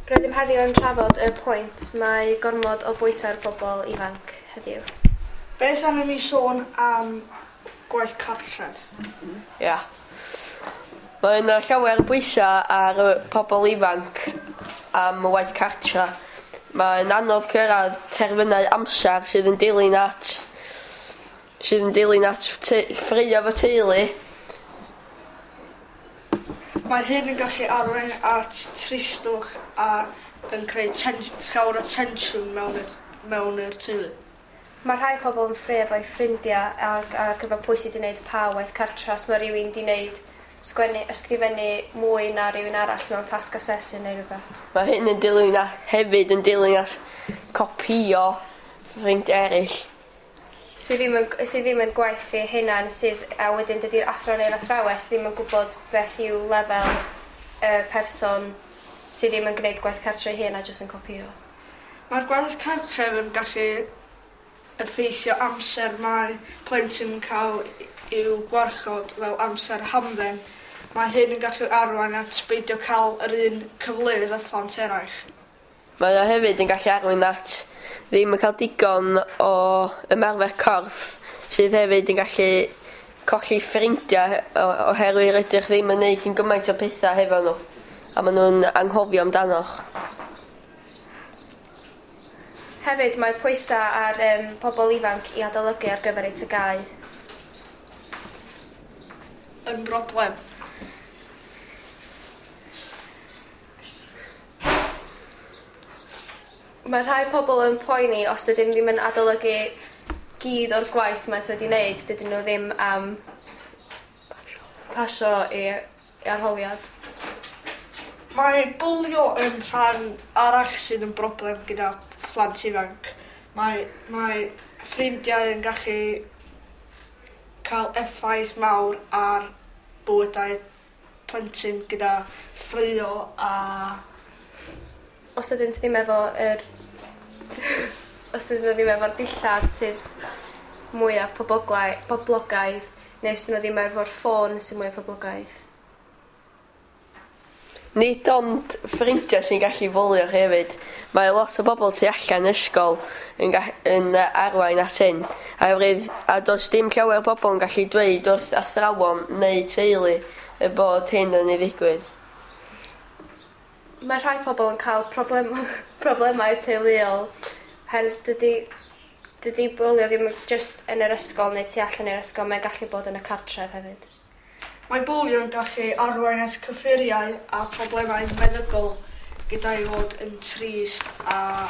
Rydym heddiw yn trafod y pwynt mae gormod o bwysau ar bobl ifanc heddiw. Beth am i mi sôn am gwaith cartref? Ia. Mae yna llawer o bwysau ar y pobl ifanc am y waith cartra. Mae'n anodd cyrraedd terfynau amser sydd yn dilyn at sydd yn dilyn at ffraeo efo teulu. Mae hyn yn gallu arwain at tristwch a yn creu llawer o tensiwn mewn y, mewn yr teulu. Mae rhai pobl yn ffraeo efo'u ffrindiau ar gyfer pwy sydd wedi gwneud pa waith cartra. Os mae rhywun wedi gwneud sgwennu, ysgrifennu mwy na rhywun arall mewn tasg asesu neu rhywbeth. Mae hyn yn dilyn a hefyd yn dilyn at copïo ffrindiau eraill. Sydd ddim yn, sydd ddim yn gwaith eu hunan, sydd, a wedyn dydy'r athro neu'r athrawes ddim yn gwybod beth yw lefel y person sydd ddim yn gwneud gwaith cartre ei hun a jyst yn copïo. Mae'r gwaith cartref yn gallu effeithio amser mae plentyn yn cael i'w gwarchod fel amser hamdden. Mae hyn yn gallu arwain at beidio cael yr un cyfleoedd â phlant eraill. Mae o hefyd yn gallu arwain at ddim yn cael digon o ymarfer corff sydd hefyd yn gallu colli ffrindiau oherwydd rydych ddim yn neud cyn gymaint o pethau hefo nhw a maen nhw'n anghofio amdanoch. Hefyd mae pwysau ar pobl ifanc i adolygu ar gyfer eu TGAU. Yn broblem. Mae rhai pobl yn poeni os dydyn ddim yn adolygu gyd o'r gwaith maent wedi wneud, dydyn nhw ddim am pasio i arholiad. Mae bwlio yn rhan arall sydd yn broblem gyda phlant ifanc. Mae, mae ffrindiau yn gallu cael effaith mawr ar bywydau plentyn gyda ffraeo a os ydynt ddim efo yr os ydyn nhw ddim efo'r dillad sydd mwyaf poblogaidd neu os ydyn nhw ddim efo'r ffôn sydd mwyaf poblogaidd. Nid ond ffrindiau sy'n gallu fwlio chi hefyd. Mae lot o bobl tu allan ysgol yn, yn arwain at hyn. A, a does dim llawer o bobl yn gallu dweud wrth athrawon neu teulu y bod hyn yn ei ddigwydd. Mae rhai pobl yn cael problem, problemau teuluol oherwydd dydy bwlio ddim just yn yr ysgol neu tu allan i'r ysgol, mae'n gallu bod yn y cartref hefyd. Mae bwlio yn gallu arwain at cyffuriau a problemau meddygol gyda'i fod yn trist a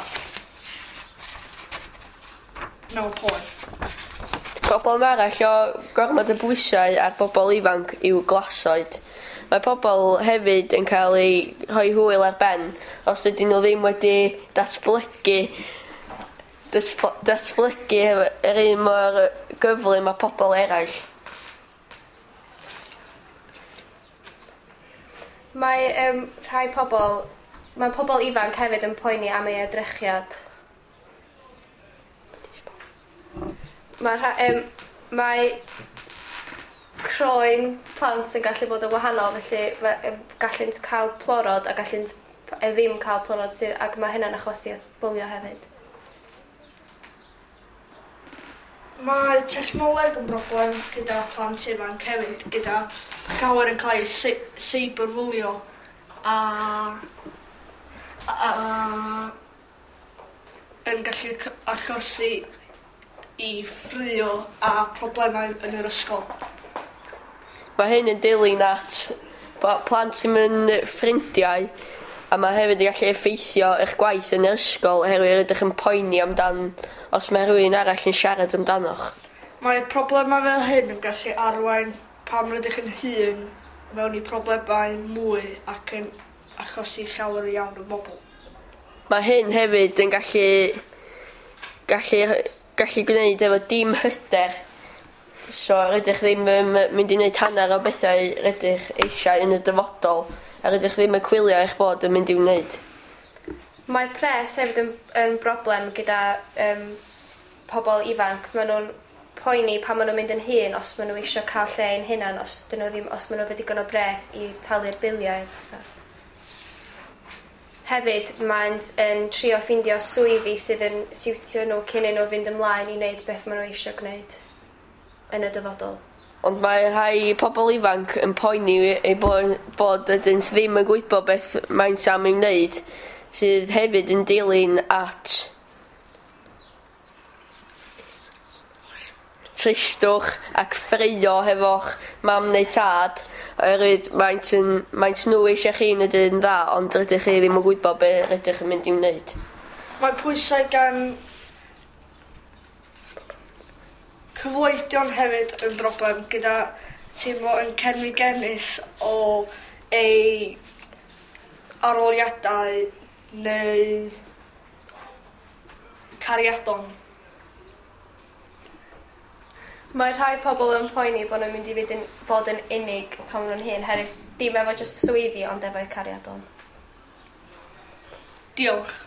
mewn poen. Problem arall o gormod o bwysau ar bobl ifanc yw glasoed. Mae pobl hefyd yn cael eu rhoi hwyl ar ben os dydyn nhw ddim wedi datblygu yr un mor gyflym â pobl eraill. Mae rhai pobl, mae pobl ifanc hefyd yn poeni am ei edrychiad. Mae, mae croen plant yn gallu bod yn wahanol, felly gallant cael plorod a gallant ddim cael plorod sydd, ac mae hynna'n achosi at bwlio hefyd. Mae technoleg yn broblem gyda plant ifanc hefyd, gyda llawer yn cael eu cyberbwlio a yn gallu achosi i ffraeo a problemau yn yr ysgol. Mae hyn yn dilyn at plant sy'n yn ffrindiau a mae hefyd yn gallu effeithio eich gwaith yn yr ysgol oherwydd rydych yn poeni amdan os mae rhywun arall yn siarad amdanoch. Mae problemau fel hyn yn gallu arwain pam rydych yn hŷn mewn i problemau mwy ac yn achosi llawer iawn o bobl. Mae hyn hefyd yn gallu gwneud efo dim hyder. So rydych ddim yn mynd i wneud hanner o bethau rydych eisiau yn y dyfodol a rydych ddim yn cwylio eich bod yn mynd i'w wneud. Mae pres hefyd yn broblem gyda pobl ifanc. Maen nhw'n poeni pan maen nhw'n mynd yn hŷn os maen nhw eisiau cael lle ein hunan, os dyn nhw ddim, os maen nhw efo digon o bres i talu'r biliau a pethau. Hefyd, maent yn trio ffeindio swyddi sydd yn siwtio nhw cyn i nhw fynd ymlaen i wneud beth maen nhw eisiau gwneud yn y dyfodol. Ond mae rhai pobl ifanc yn poeni eu bod ydynt ddim yn gwybod beth maent am ei wneud, sydd hefyd yn dilyn at tristwch ac ffraeo hefo'ch mam neu tad, oherwydd maent, yn, maent nhw eisiau chi wneud yn dda, ond rydych chi ddim yn gwybod be rydych yn mynd i'w wneud. Mae pwysau gan cyfoedion hefyd yn broblem gyda teimlo yn cenfigenus o ei aroliadau neu cariadon. Mae rhai pobl yn poeni bod nhw'n mynd i fynd yn, fod yn unig pan maen nhw'n hŷn, herwydd dim efo jyst swyddi ond efo'u cariadon. Diolch.